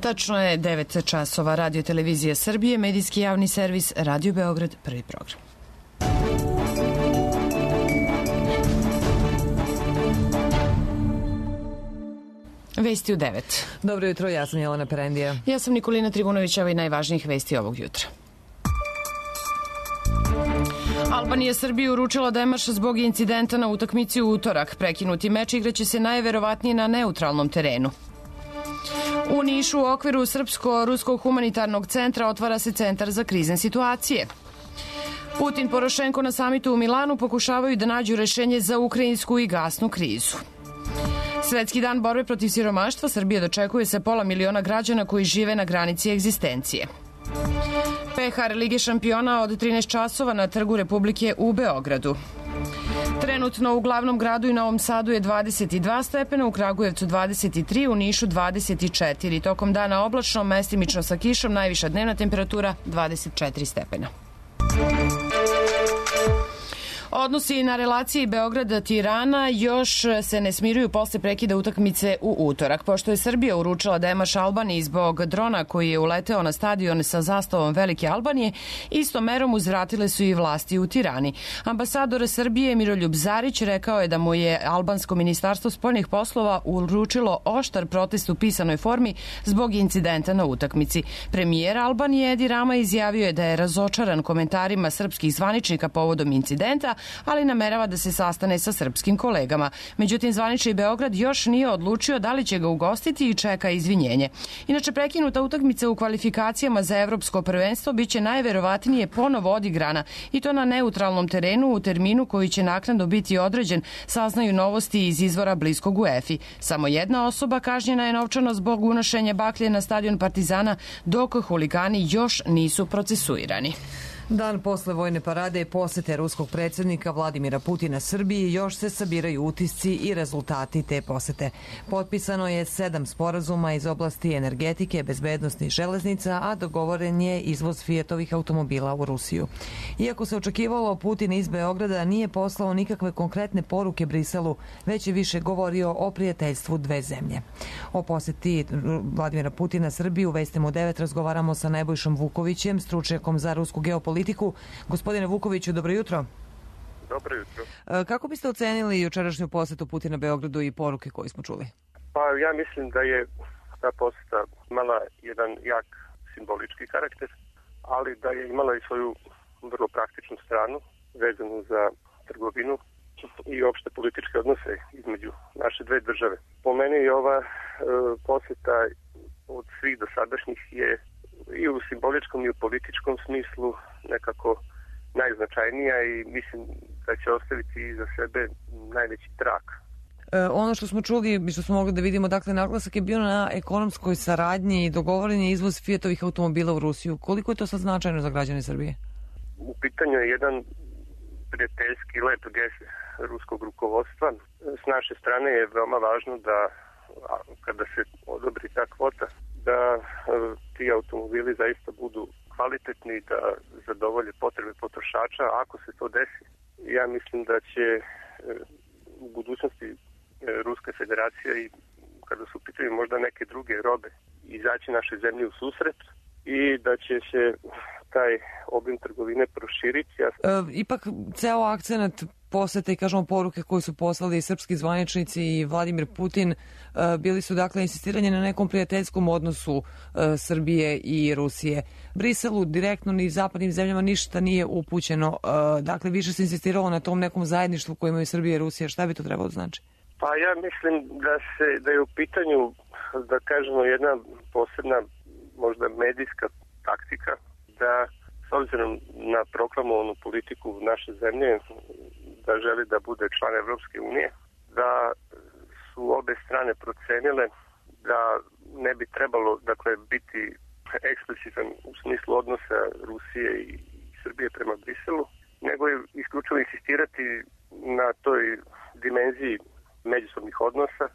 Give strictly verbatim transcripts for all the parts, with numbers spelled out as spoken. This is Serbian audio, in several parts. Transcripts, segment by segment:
Tačno je devet časova. Radio Televizija Srbije, medijski javni servis, Radio Beograd, prvi program. Vesti u devet. Dobro jutro, ja sam Jelena Perendija. Ja sam Nikolina Trivunović, ovo je najvažnijih vesti ovog jutra. Albanija Srbiji uručila demaš zbog incidenta na utakmici u utorak. Prekinuti meč igraće se najverovatnije na neutralnom terenu. U Nišu u okviru Srpsko-Ruskog humanitarnog centra otvara se centar za krizne situacije. Putin, Porošenko na samitu u Milanu pokušavaju da nađu rešenje za ukrajinsku i gasnu krizu. Svetski dan borbe protiv siromaštva Srbije dočekuje se pola miliona građana koji žive na granici egzistencije. Pehar Lige šampiona od trinaest časova na Trgu Republike u Beogradu. Trenutno u glavnom gradu i Novom Sadu je dvadeset dva stepena, u Kragujevcu dvadeset tri, u Nišu dvadeset četiri. Tokom dana oblačno, mestimično sa kišom, najviša dnevna temperatura dvadeset četiri stepena. Odnosi na relaciji Beograda-Tirana još se ne smiruju posle prekida utakmice u utorak. Pošto je Srbija uručila demaš Albaniji zbog drona koji je uleteo na stadion sa zastavom Velike Albanije, istom merom uzvratile su i vlasti u Tirani. Ambasador Srbije Miroljub Zarić rekao je da mu je albansko ministarstvo spoljnih poslova uručilo oštar protest u pisanoj formi zbog incidenta na utakmici. Premijer Albanije Edi Rama izjavio je da je razočaran komentarima srpskih zvaničnika povodom incidenta, ali namerava da se sastane sa srpskim kolegama. Međutim, zvanični Beograd još nije odlučio da li će ga ugostiti i čeka izvinjenje. Inače, prekinuta utakmica u kvalifikacijama za evropsko prvenstvo biće najverovatnije ponovo odigrana i to na neutralnom terenu u terminu koji će naknadno biti određen, saznaju novosti iz izvora bliskog UEFA-i. Samo jedna osoba kažnjena je novčano zbog unošenja baklje na stadion Partizana, dok huligani još nisu procesuirani. Dan posle vojne parade i posete ruskog predsjednika Vladimira Putina Srbiji još se sabiraju utisci i rezultati te posete. Potpisano je sedam sporazuma iz oblasti energetike, bezbednosti i železnica, a dogovoren je izvoz Fiatovih automobila u Rusiju. Iako se očekivalo, Putin iz Beograda nije poslao nikakve konkretne poruke Briselu, već je više govorio o prijateljstvu dve zemlje. O poseti Vladimira Putina Srbiji u Vestima u devet razgovaramo sa Nebojšom Vukovićem, stručnjakom za rusku geopolitiku. Gospodine Vukoviću, dobro jutro. Dobro jutro. Kako biste ocenili jučerašnju posetu Putina Beogradu i poruke koje smo čuli? Pa ja mislim da je ta poseta imala jedan jak simbolički karakter, ali da je imala i svoju vrlo praktičnu stranu vezanu za trgovinu i opšte političke odnose između naše dve države. Po meni je ova e, poseta od svih dosadašnjih je i u simboličkom i u političkom smislu nekako najznačajnija i mislim da će ostaviti iza sebe najveći trak. E, ono što smo čuli i što smo mogli da vidimo, dakle, naglasak je bio na ekonomskoj saradnji i dogovoren je izvoz Fiatovih automobila u Rusiju. Koliko je to sad značajno za građane Srbije? U pitanju je jedan prijateljski lep gest ruskog rukovodstva. S naše strane je veoma važno da kada se odobri ta kvota, da ti automobili zaista budu kvalitetni, da zadovolje potrebe potrošača. Ako se to desi, ja mislim da će u budućnosti Ruska federacija i kada su pitaju možda neke druge robe izaći naše zemlje u susret i da će se taj obim trgovine proširiti. E, ipak ceo akcenat posete i kažemo poruke koje su poslali srpski zvaničnici i Vladimir Putin bili su dakle insistiranje na nekom prijateljskom odnosu Srbije i Rusije. Briselu direktno ni zapadnim zemljama ništa nije upućeno. Dakle, više se insistiralo na tom nekom zajedništvu koje imaju Srbije i Rusija. Šta bi to trebalo znači? Pa ja mislim da se da je u pitanju, da kažemo, jedna posebna možda medijska taktika, da s obzirom na proklamovanu politiku naše zemlje, da želi da bude član Evropske unije, da su obe strane procenile da ne bi trebalo, dakle, biti eksplicitan u smislu odnosa Rusije i Srbije prema Briselu, nego je isključivo insistirati na toj dimenziji međusobnih odnosa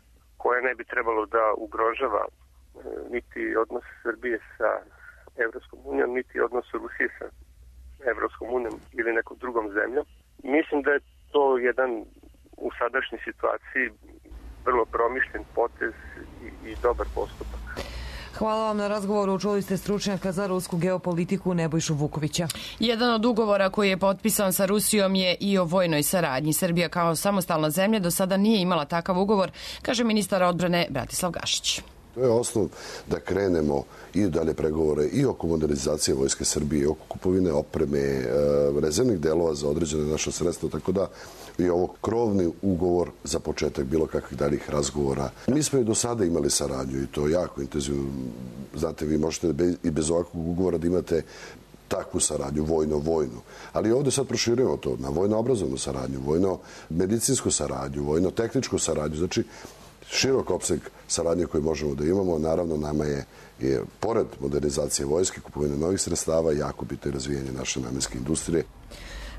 koja ne bi trebalo da ugrožava niti odnos Srbije sa Evropskom unijom, niti odnos Rusije sa Evropskom unijom ili nekom drugom zemljom. Mislim da je to jedan u sadašnjoj situaciji vrlo promišljen potez i, i dobar postupak. Hvala vam na razgovoru. Čuli ste stručnjaka za rusku geopolitiku Nebojšu Vukovića. Jedan od ugovora koji je potpisan sa Rusijom je i o vojnoj saradnji. Srbija kao samostalna zemlja do sada nije imala takav ugovor, kaže ministar odbrane Bratislav Gašić. To je osnov da krenemo i dalje pregovore i oko modernizacije Vojske Srbije, oko kupovine opreme, rezervnih delova za određene naše sredstva, tako da i ovo krovni ugovor za početak bilo kakvih daljih razgovora. Mi smo i do sada imali saradnju i to jako intenzivno. Znate, vi možete i bez ovakvog ugovora da imate takvu saradnju, vojno-vojnu. Ali ovde sad proširujemo to na vojno-obrazovnu saradnju, vojno-medicinsku saradnju, vojno-tehničku saradnju. Znači, širok opseg saradnje koje možemo da imamo. Naravno, nama je, je pored modernizacije vojske, kupovine novih sredstava, jako bitno i razvijanje naše namenske industrije.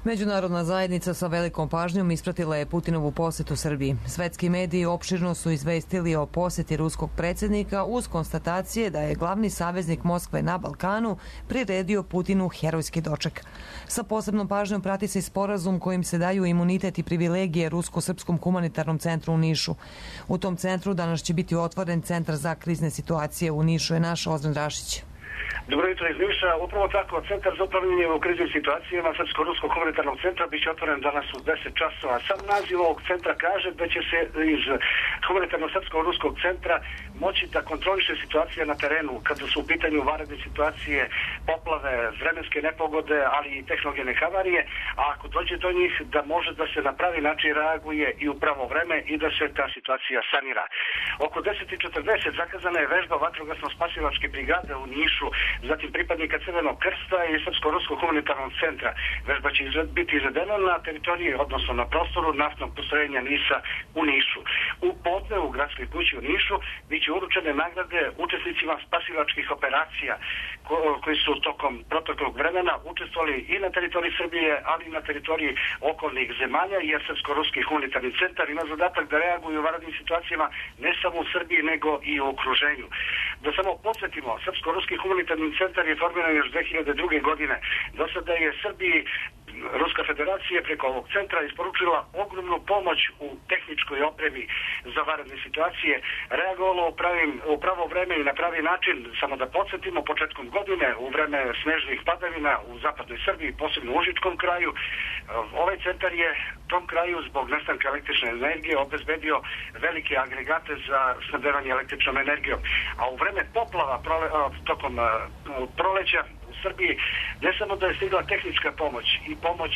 Međunarodna zajednica sa velikom pažnjom ispratila je Putinovu posetu Srbiji. Svetski mediji opširno su izvestili o poseti ruskog predsjednika uz konstatacije da je glavni saveznik Moskve na Balkanu priredio Putinu herojski doček. Sa posebnom pažnjom prati se i sporazum kojim se daju imunitet i privilegije Rusko-srpskom humanitarnom centru u Nišu. U tom centru danas će biti otvoren centar za krizne situacije u Nišu, je naš Ozren Rašić. Dobro jutro iz Niša. Upravo tako, Centar za upravljanje u kriznim situacijama Srpsko-ruskog humanitarnog centra biće otvoren danas u deset časova. Sam naziv ovog centra kaže da će se iz humanitarnog Srpsko-ruskog centra moći da kontroliše situacije na terenu kada su u pitanju vanredne situacije, poplave, vremenske nepogode, ali i tehnogene havarije, a ako dođe do njih da može da se na pravi način reaguje i u pravo vreme i da se ta situacija sanira. Oko deset i četrdeset zakazana je vežba vatrogasno-spasilačke brigade u Nišu, zatim pripadnika Crvenog krsta i Srpsko-ruskog humanitarnog centra. Vežba će biti izvedena na teritoriji, odnosno na prostoru naftnog postrojenja NIS-a u Nišu. U podne u gradskoj kući u Nišu biće uručene nagrade učesnicima spasilačkih operacija ko, koji su tokom proteklog vremena učestvovali i na teritoriji Srbije, ali i na teritoriji okolnih zemalja, jer Srpsko-ruski humanitarni centar ima zadatak da reaguju u vanrednim situacijama ne samo u Srbiji, nego i u okruženju. Da samo podsjetimo, Srpsko-ruski humanitarni centar je formiran još dve hiljade druge. godine. Do sada je Srbiji Ruska federacija preko ovog centra isporučila ogromnu pomoć u tehničkoj opremi za vanredne situacije, reagovalo u, pravim, u pravo vreme i na pravi način. Samo da podsjetimo, početkom godine u vreme snežnih padavina u zapadnoj Srbiji, posebno u Užičkom kraju, ovaj centar je tom kraju zbog nestanka električne energije obezbedio velike agregate za snabdevanje električnom energijom. A u vreme poplava prole, tokom proleća u Srbiji ne samo da je stigla tehnička pomoć i pomoć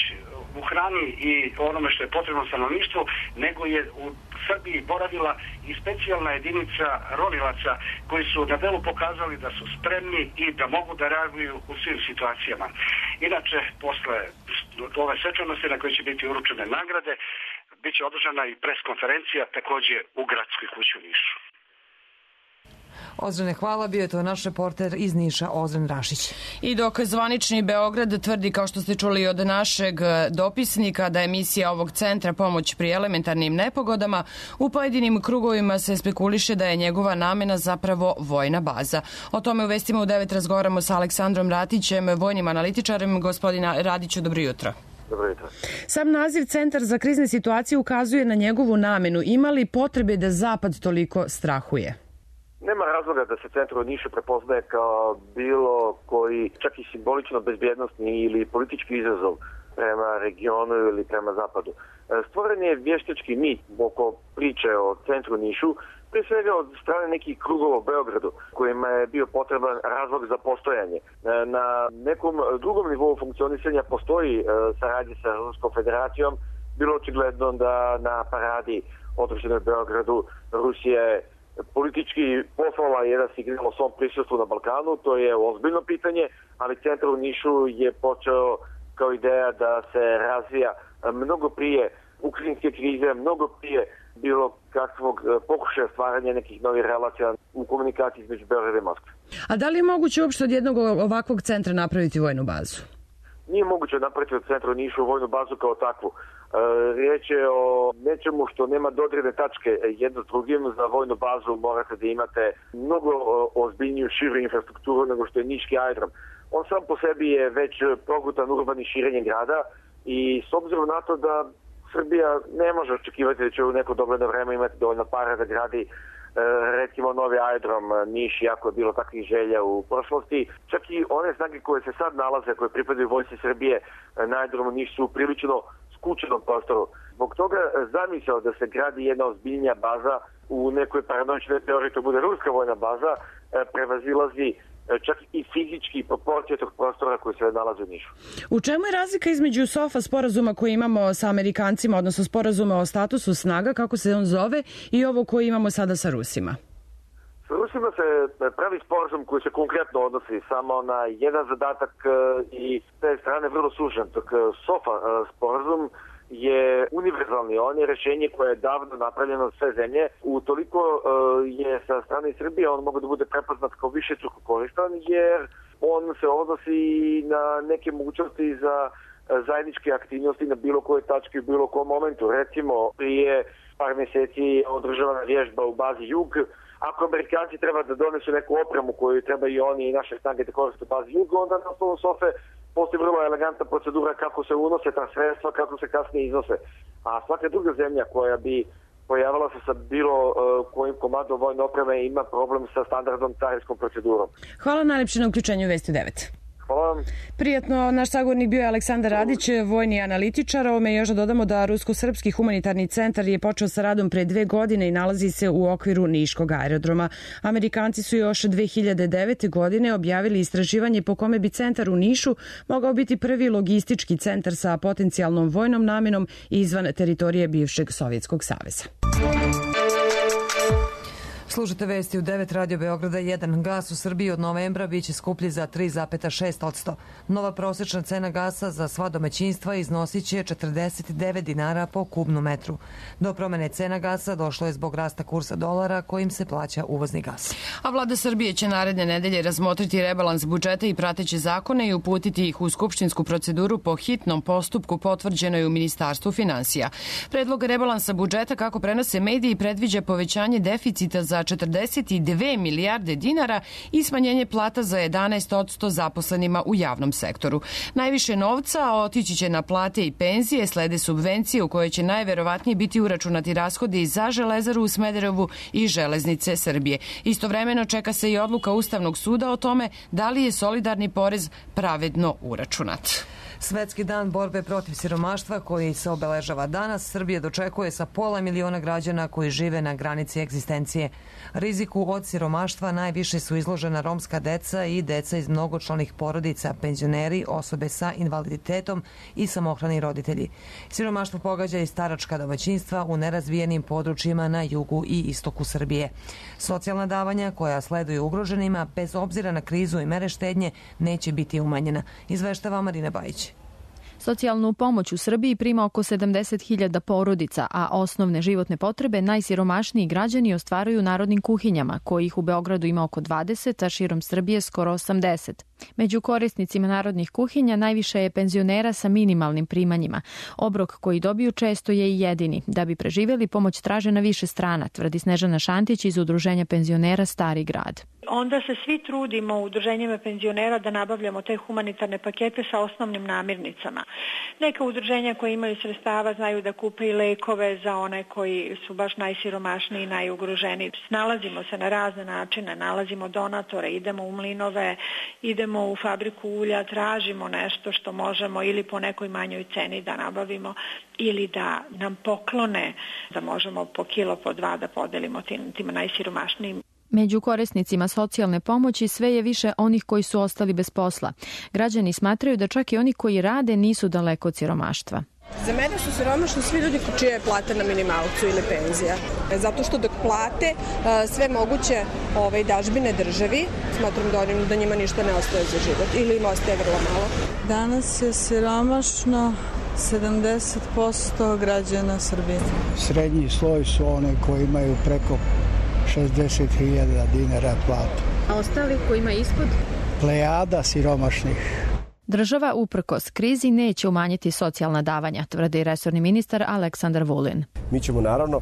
u hrani i onome što je potrebno stanovništvu, nego je u Srbiji boravila i specijalna jedinica ronilaca koji su na delu pokazali da su spremni i da mogu da reaguju u svim situacijama. Inače, posle ove svečanosti na kojoj će biti uručene nagrade, bit će održana i preskonferencija takođe u gradskoj kući u Nišu. Ozrene, hvala, bio je to naš reporter iz Niša, Ozren Rašić. I dok zvanični Beograd tvrdi, kao što ste čuli od našeg dopisnika, da je misija ovog centra pomoć pri elementarnim nepogodama, u pojedinim krugovima se spekuliše da je njegova namena zapravo vojna baza. O tome u Vestima u devet razgovaramo sa Aleksandrom Ratićem, vojnim analitičarem. Gospodina Radiću, dobro jutro. Dobro jutro. Sam naziv Centar za krizne situacije ukazuje na njegovu namenu. Ima li potrebe da Zapad toliko strahuje? Nema razloga da se centar u Nišu prepoznaje kao bilo koji, čak i simbolično bezbjednostni ili politički izazov prema regionu ili prema Zapadu. Stvoren je vještački mit oko priče o centru Nišu, prije svega od strane nekih krugova u Beogradu, kojima je bio potreban razlog za postojanje. Na nekom drugom nivou funkcionisanja postoji saradnje sa Ruskom federacijom. Bilo očigledno da na paradi održanoj u Beogradu Rusija je politički poslala jedan signal o svom prisustvu na Balkanu. To je ozbiljno pitanje, ali centar u Nišu je počeo kao ideja da se razvija mnogo prije ukrajinske krize, mnogo prije bilo kakvog pokušaja stvaranja nekih novih relacija u komunikaciji između Beograda i Moskve. A da li je moguće uopšte od jednog ovakvog centra napraviti vojnu bazu? Nije moguće napraviti od centra u Nišu vojnu bazu kao takvu. Riječ je o nečemu što nema dodirne tačke jedno s drugim. Za vojnu bazu morate da imate mnogo ozbiljniju širu infrastrukturu nego što je niški aerodrom. On sam po sebi je već progutan urbani širenje grada i s obzirom na to da Srbija ne može očekivati da će u neko dogledno vreme imati dovoljno para da gradi recimo novi aerodrom Niš, jako je bilo takvih želja u prošlosti. Čak i one snage koje se sad nalaze, koje pripadaju Vojsci Srbije na aerodromu Niš su prilično skučenom prostoru. Zbog toga zamisao da se gradi jedna ozbiljnija baza u nekoj paranoičnoj teoriji, to bude ruska vojna baza, prevazilazi čak i fizički proporcije tog prostora koji se nalazi u Nišu. U čemu je razlika između SOFA sporazuma koji imamo sa Amerikancima, odnosno sporazuma o statusu snaga, kako se on zove, i ovo koji imamo sada sa Rusima? Sa Rusima se pravi sporazum koji se konkretno odnosi samo na jedan zadatak i s te strane vrlo sužen. Dok SOFA sporazum je univerzalni, on je rešenje koje je davno napravljeno sve zemlje. Utoliko je sa strane Srbije on mogu da bude prepoznat kao višestruko koristan, jer on se odnosi na neke mogućnosti za zajedničke aktivnosti na bilo kojoj tački u bilo kom momentu. Recimo, prije par meseci održavana vježba u bazi Jug. Ako Amerikanci treba da donesu neku opremu koju treba i oni i naše snage da koriste u bazi Jug, onda na osnovu SOFE postoji vrlo elegantna procedura kako se unose ta sredstva, kako se kasnije iznose. A svaka druga zemlja koja bi pojavila se sa bilo uh, kojim komadom vojne opreme ima problem sa standardnom carinskom procedurom. Hvala najlepše na uključenju Vesti devet. Hvala vam. Prijatno, naš sagovornik bio je Aleksandar Radić, vojni analitičar. Ovome još da dodamo da Rusko-srpski humanitarni centar je počeo sa radom pre dve godine i nalazi se u okviru Niškog aerodroma. Amerikanci su još dve hiljade devete. godine objavili istraživanje po kome bi centar u Nišu mogao biti prvi logistički centar sa potencijalnom vojnom namenom izvan teritorije bivšeg Sovjetskog saveza. Slušate vesti u devet Radio Beograda jedan. Gas u Srbiji od novembra biće skuplji za tri zarez šest posto. Nova prosečna cena gasa za sva domaćinstva iznosit će četrdeset devet dinara po kubnu metru. Do promene cena gasa došlo je zbog rasta kursa dolara kojim se plaća uvozni gas. A vlada Srbije će naredne nedelje razmotriti rebalans budžeta i prateće zakone i uputiti ih u skupštinsku proceduru po hitnom postupku potvrđenoj u Ministarstvu finansija. Predlog rebalansa budžeta, kako prenose mediji, predviđa povećanje deficita za četrdeset dve milijarde dinara i smanjenje plata za jedanaest posto zaposlenima u javnom sektoru. Najviše novca otići će na plate i penzije, slede subvencije u koje će najverovatnije biti uračunati rashodi za Železaru u Smederevu i Železnice Srbije. Istovremeno čeka se i odluka Ustavnog suda o tome da li je solidarni porez pravedno uračunat. Svetski dan borbe protiv siromaštva koji se obeležava danas, Srbije dočekuje sa pola miliona građana koji žive na granici egzistencije. Riziku od siromaštva najviše su izložena romska deca i deca iz mnogočlanih porodica, penzioneri, osobe sa invaliditetom i samohrani roditelji. Siromaštvo pogađa i staračka domaćinstva u nerazvijenim područjima na jugu i istoku Srbije. Socijalna davanja koja sleduju ugroženima, bez obzira na krizu i mere štednje, neće biti umanjena, izveštava Marina Bajić. Socijalnu pomoć u Srbiji prima oko sedamdeset hiljada porodica, a osnovne životne potrebe najsiromašniji građani ostvaruju narodnim kuhinjama, kojih u Beogradu ima oko dvadeset, a širom Srbije skoro osamdeset. Među korisnicima narodnih kuhinja najviše je penzionera sa minimalnim primanjima. Obrok koji dobiju često je i jedini. Da bi preživjeli, pomoć traže na više strana, tvrdi Snežana Šantić iz Udruženja penzionera Stari grad. Onda se svi trudimo u udruženjima penzionera da nabavljamo te humanitarne pakete sa osnovnim namirnicama. Neka udruženja koje imaju sredstava znaju da kupe i lekove za one koji su baš najsiromašniji i najugroženiji. Snalazimo se na razne načine, nalazimo donatore, idemo u mlinove, idemo u fabriku ulja, tražimo nešto što možemo ili po nekoj manjoj ceni da nabavimo ili da nam poklone, da možemo po kilo, po dva da podelimo tim, tim najsiromašnijim. Među korisnicima socijalne pomoći sve je više onih koji su ostali bez posla. Građani smatraju da čak i oni koji rade nisu daleko od siromaštva. Za mene su siromašni svi ljudi čija je plata na minimalcu ili penzija. Zato što dok plate sve moguće ovaj, dažbine državi, smatram da, onim, da njima ništa ne ostaje za život ili im ostaje vrlo malo. Danas je siromašno sedamdeset posto građana Srbije. Srednji sloj su one koji imaju preko šezdeset hiljada dinara platu. A ostali koji ima ispod? Plejada siromašnih. Država uprkos krizi neće umanjiti socijalna davanja, tvrdi resorni ministar Aleksandar Vulin. Mi ćemo naravno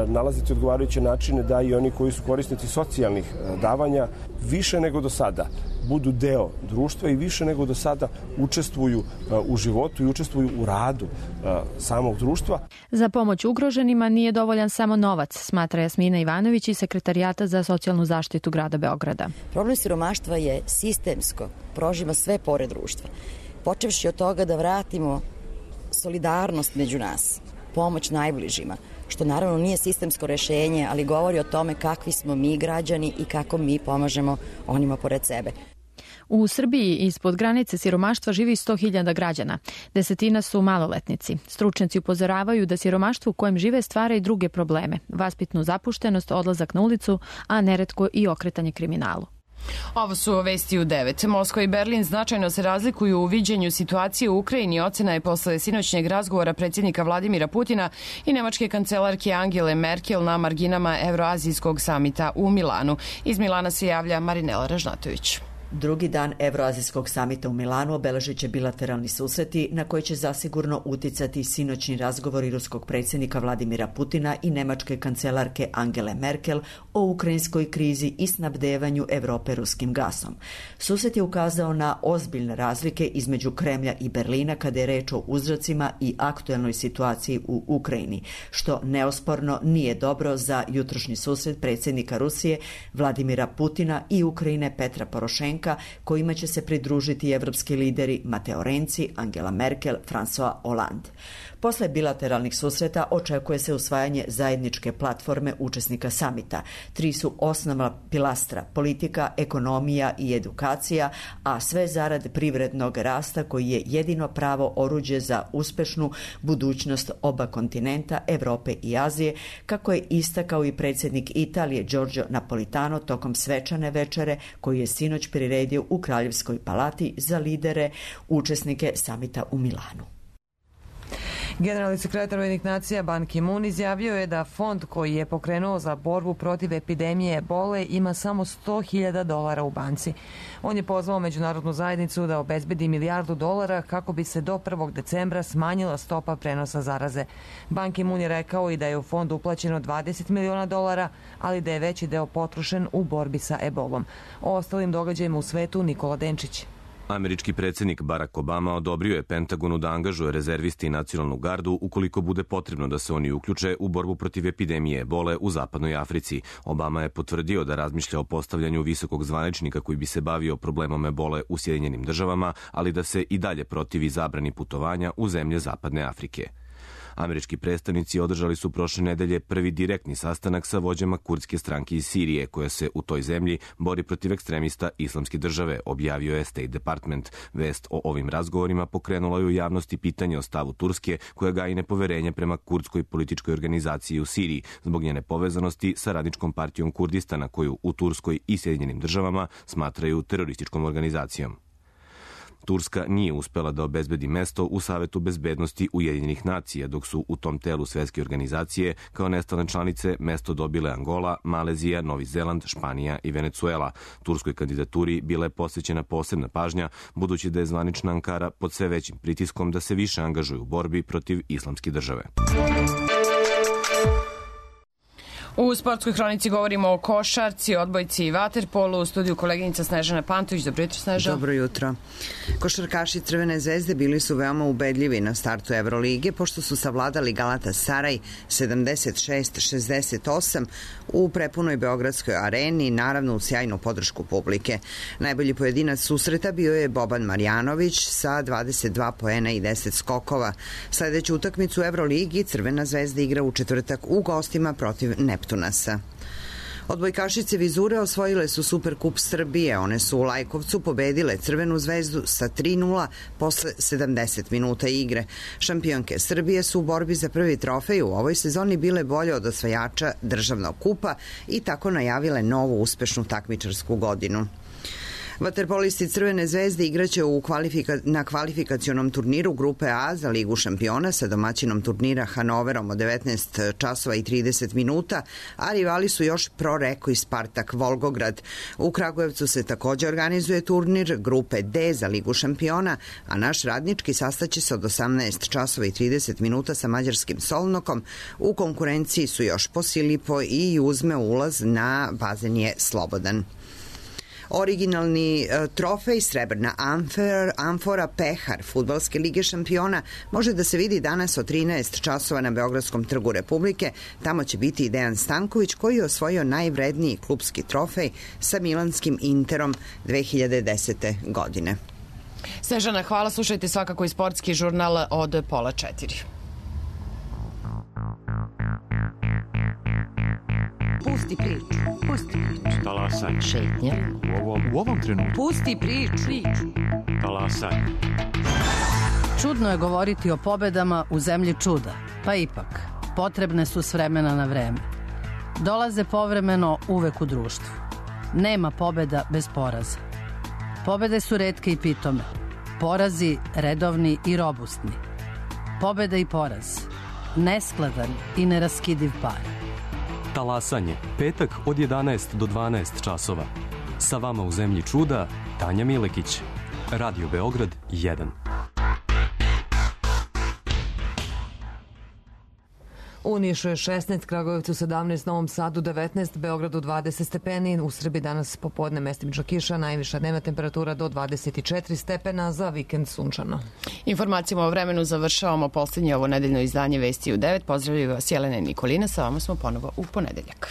nalaziti odgovarajuće načine da i oni koji su korisnici socijalnih davanja više nego do sada budu deo društva i više nego do sada učestvuju u životu i učestvuju u radu samog društva. Za pomoć ugroženima nije dovoljan samo novac, smatra Jasmina Ivanović iz Sekretarijata za socijalnu zaštitu grada Beograda. Problem siromaštva je sistemsko, prožima sve pore društva. Počevši od toga da vratimo solidarnost među nas, pomoć najbližima, što naravno nije sistemsko rešenje, ali govori o tome kakvi smo mi građani i kako mi pomažemo onima pored sebe. U Srbiji ispod granice siromaštva živi sto hiljada građana. Desetina su maloletnici. Stručnjaci upozoravaju da siromaštvo u kojem žive stvara i druge probleme. Vaspitnu zapuštenost, odlazak na ulicu, a neretko i okretanje kriminalu. Ovo su vesti u devet. Moskva i Berlin značajno se razlikuju u viđenju situacije u Ukrajini. Ocena je posle sinoćnjeg razgovora predsjednika Vladimira Putina i nemačke kancelarke Angele Merkel na marginama Evroazijskog samita u Milanu. Iz Milana se javlja Marinela Ražnatović. Drugi dan Evroazijskog samita u Milanu obeležit će bilateralni susreti na koji će zasigurno uticati sinoćni razgovori ruskog predsjednika Vladimira Putina i nemačke kancelarke Angele Merkel o ukrajinskoj krizi i snabdevanju Evrope ruskim gasom. Susret je ukazao na ozbiljne razlike između Kremlja i Berlina kada je reč o uzrocima i aktuelnoj situaciji u Ukrajini, što neosporno nije dobro za jutrošnji susret predsjednika Rusije Vladimira Putina i Ukrajine Petra Porošenka, kojima će se pridružiti evropski lideri Mateo Renzi, Angela Merkel, François Hollande. Posle bilateralnih susreta očekuje se usvajanje zajedničke platforme učesnika samita. Tri su osnovna pilastra: politika, ekonomija i edukacija, a sve zarad privrednog rasta koji je jedino pravo oruđe za uspešnu budućnost oba kontinenta, Evrope i Azije, kako je istakao i predsjednik Italije Giorgio Napolitano tokom svečane večere koju je sinoć priredio u Kraljevskoj palati za lidere učesnike samita u Milanu. Generalni sekretar Ujedinjenih nacija Ban Ki-moon izjavio je da fond koji je pokrenuo za borbu protiv epidemije ebole ima samo sto hiljada dolara u banci. On je pozvao međunarodnu zajednicu da obezbedi milijardu dolara kako bi se do prvog decembra smanjila stopa prenosa zaraze. Ban Ki-moon je rekao i da je u fond uplaćeno dvadeset miliona dolara, ali da je veći deo potrošen u borbi sa ebolom. O ostalim događajima u svetu Nikola Denčić. Američki predsjednik Barack Obama odobrio je Pentagonu da angažuje rezervisti i nacionalnu gardu ukoliko bude potrebno da se oni uključe u borbu protiv epidemije ebole u zapadnoj Africi. Obama je potvrdio da razmišlja o postavljanju visokog zvaničnika koji bi se bavio problemom ebole u Sjedinjenim državama, ali da se i dalje protivi zabrani putovanja u zemlje zapadne Afrike. Američki predstavnici održali su prošle nedelje prvi direktni sastanak sa vođama kurdske stranke iz Sirije, koja se u toj zemlji bori protiv ekstremista Islamske države, objavio je State Department. Vest o ovim razgovorima pokrenula je u javnosti pitanje o stavu Turske, koja gaji nepoverenje prema kurdskoj političkoj organizaciji u Siriji, zbog njene povezanosti sa radničkom partijom Kurdistana, koju u Turskoj i Sjedinjenim državama smatraju terorističkom organizacijom. Turska nije uspela da obezbedi mesto u Savetu bezbednosti Ujedinjenih nacija, dok su u tom telu svetske organizacije kao nestalne članice mesto dobile Angola, Malezija, Novi Zeland, Španija i Venecuela. Turskoj kandidaturi bila je posvećena posebna pažnja, budući da je zvanična Ankara pod sve većim pritiskom da se više angažuje u borbi protiv Islamske države. U sportskoj hronici govorimo o košarci, odbojci i vaterpolu. U studiju koleginica Snežana Pantović. Dobro jutro, Snežana. Dobro jutro. Košarkaši Crvene zvezde bili su veoma ubedljivi na startu Evrolige, pošto su savladali Galatasaray sedamdeset šest šezdeset osam u prepunoj beogradskoj areni, naravno u sjajnu podršku publike. Najbolji pojedinac susreta bio je Boban Marjanović sa dvadeset dva poena i deset skokova. Sledeću utakmicu u Evroligi Crvena zvezda igra u četvrtak u gostima protiv Neptunasa. Neptunasa. Odbojkašice Vizure osvojile su Superkup Srbije. One su u Lajkovcu pobedile Crvenu zvezdu sa tri nula posle sedamdeset minuta igre. Šampionke Srbije su u borbi za prvi trofej u ovoj sezoni bile bolje od osvajača državnog kupa i tako najavile novu uspešnu takmičarsku godinu. Vaterpolisti Crvene zvezde igraće u kvalifika, na kvalifikacionom turniru Grupe A za Ligu šampiona sa domaćinom turnira Hanoverom od devetnaest časova i trideset minuta, a rivali su još Pro Reko i Spartak Volgograd. U Kragujevcu se takođe organizuje turnir Grupe D za Ligu šampiona, a naš radnički sastaće se od osamnaest časova i trideset minuta sa mađarskim Solnokom. U konkurenciji su još Posilipo i Uzme, ulaz na bazen je slobodan. Originalni trofej Srebrna amfer, amfora Pehar Fudbalske lige šampiona može da se vidi danas od trinaest časova na Beogradskom trgu Republike. Tamo će biti i Dejan Stanković koji je osvojio najvredniji klupski trofej sa milanskim Interom dve hiljade desete. godine. Snežana, hvala. Slušajte svakako i sportski žurnal od pola četiri. Pusti priču. Pusti priču. Talasaj. Šetnja. U ovom, u ovom trenutku. Pusti priču. priču. Talasaj. Čudno je govoriti o pobedama u zemlji čuda. Pa ipak, potrebne su s vremena na vreme. Dolaze povremeno uvek u društvu. Nema pobeda bez poraza. Pobede su retke i pitome. Porazi redovni i robustni. Pobeda i poraz. Neskladan i neraskidiv par. Talasanje, petak od jedanaest do dvanaest časova. Sa vama u zemlji čuda, Tanja Milekić. Radio Beograd jedan. U Nišu je šesnaest, Kragujevcu sedamnaest, Novom Sadu devetnaest, Beogradu dvadeset stepeni. U Srbiji danas popodne mestimično kiša, najviša dnevna temperatura do dvadeset četiri stepena, za vikend sunčano. Informacijama o vremenu završavamo poslednje ovo nedeljno izdanje Vesti u devet. Pozdravljaju vas Jelena i Nikolina, sa vama smo ponovo u ponedeljak.